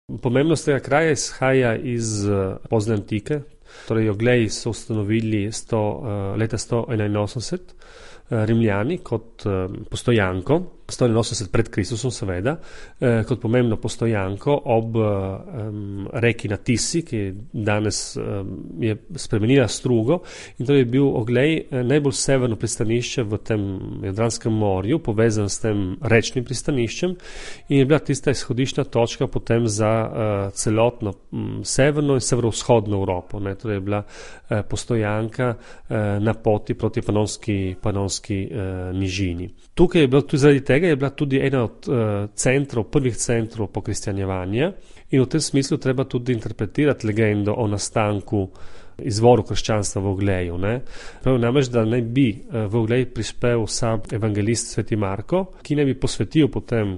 Pomembnost tega kraja izhaja iz pozne antike, torej Ogleji so ustanovili leta 181 Rimljani kot postojanko, 181 pred Kristusom seveda, kot pomembno postojanko ob reki na Tisi, ki danes je spremenila strugo, in to je bil Oglej najbolj severno pristanišče v tem Jadranskem morju, povezan s tem rečnim pristaniščem, in je bila tista izhodiščna točka potem za celotno severno in severovzhodno Evropo, ne, torej je bila postojanka na poti proti Panonski nižini. Tukaj je bilo tudi zaradi tega, je bila tudi ena od prvih centrov pokristjanjevanja, in v tem smislu treba tudi interpretirati legendo o nastanku, izvoru krščanstva v Ogleju. Prav namreč, da naj bi v Oglej prispel sam evangelist sveti Marko, ki naj bi posvetil potem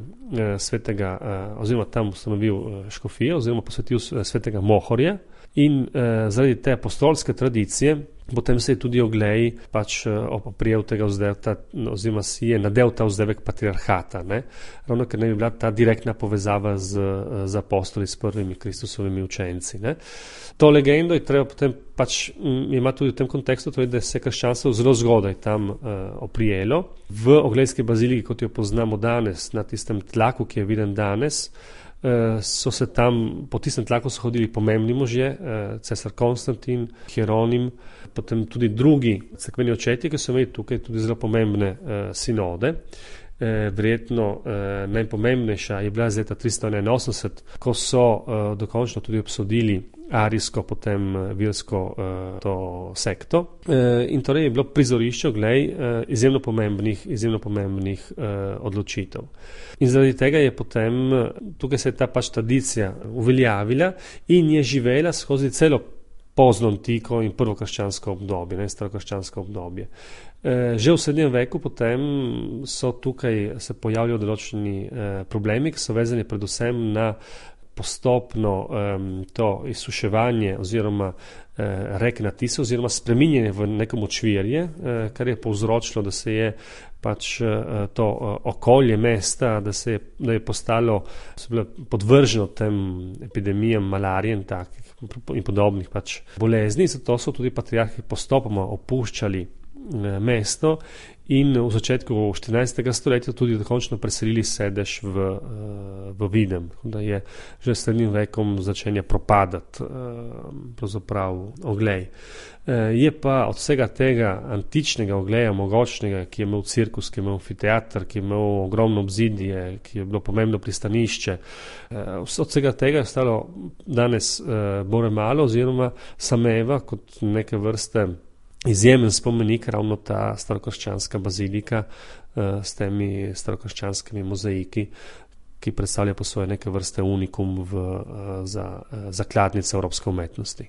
oziroma tam ustanovil škofijo, oziroma posvetil svetega Mohorja, in zaradi te apostolske tradicije potem se je tudi Oglej oprijel tega vzdevka, oziroma si je nadel ta vzdevek patriarhata, ravno ker ne bi bila ta direktna povezava z apostoli, s prvimi Kristusovimi učenci. To legendo je treba potem ima tudi v tem kontekstu, torej, da se je krščanstvo zelo zgodaj tam oprijelo. V Oglejski baziliki, kot jo poznamo danes, na tistem tlaku, ki je viden danes, so se tam, po tistem tlaku so hodili pomembni možje, cesar Konstantin, Hieronim, potem tudi drugi cerkveni očetje, ki so imeli tukaj tudi zelo pomembne sinode. Verjetno najpomembnejša je bila z leta 381, ko so dokončno tudi obsodili arijsko, potem virsko to sekto. In torej je bilo prizorišče Oglej izjemno pomembnih odločitev. In zaradi tega je potem, tukaj se je ta tradicija uveljavila in je živela skozi celo pozno antiko in prvo krščansko obdobje, starokrščansko obdobje. Že v srednjem veku potem so tukaj se pojavljajo določeni problemi, ki so vezani predvsem na postopno to izsuševanje oziroma reke na Tisi, oziroma spreminjanje v neko močvirje, kar je povzročilo, da se je to okolje mesta, da je postalo podvrženo tem epidemijam malarije in podobnih bolezni, zato so tudi patriarhi postopoma opuščali mesto in v začetku 14. stoletja tudi dokončno preselili sedež v Videm, da je že s srednjim vekom začenja propadati pravzaprav Oglej. Je pa od vsega tega antičnega Ogleja, mogočnega, ki je imel cirkus, ki je imel amfiteater, ki je imel ogromno obzidje, ki je bilo pomembno pristanišče, od vsega tega je ostalo danes bore malo, oziroma sameva kot neke vrste izjemen spomenik, ravno ta starokrščanska bazilika s temi starokrščanskimi mozaiki, ki predstavlja po svoje neke vrste unikum za zakladnice evropske umetnosti.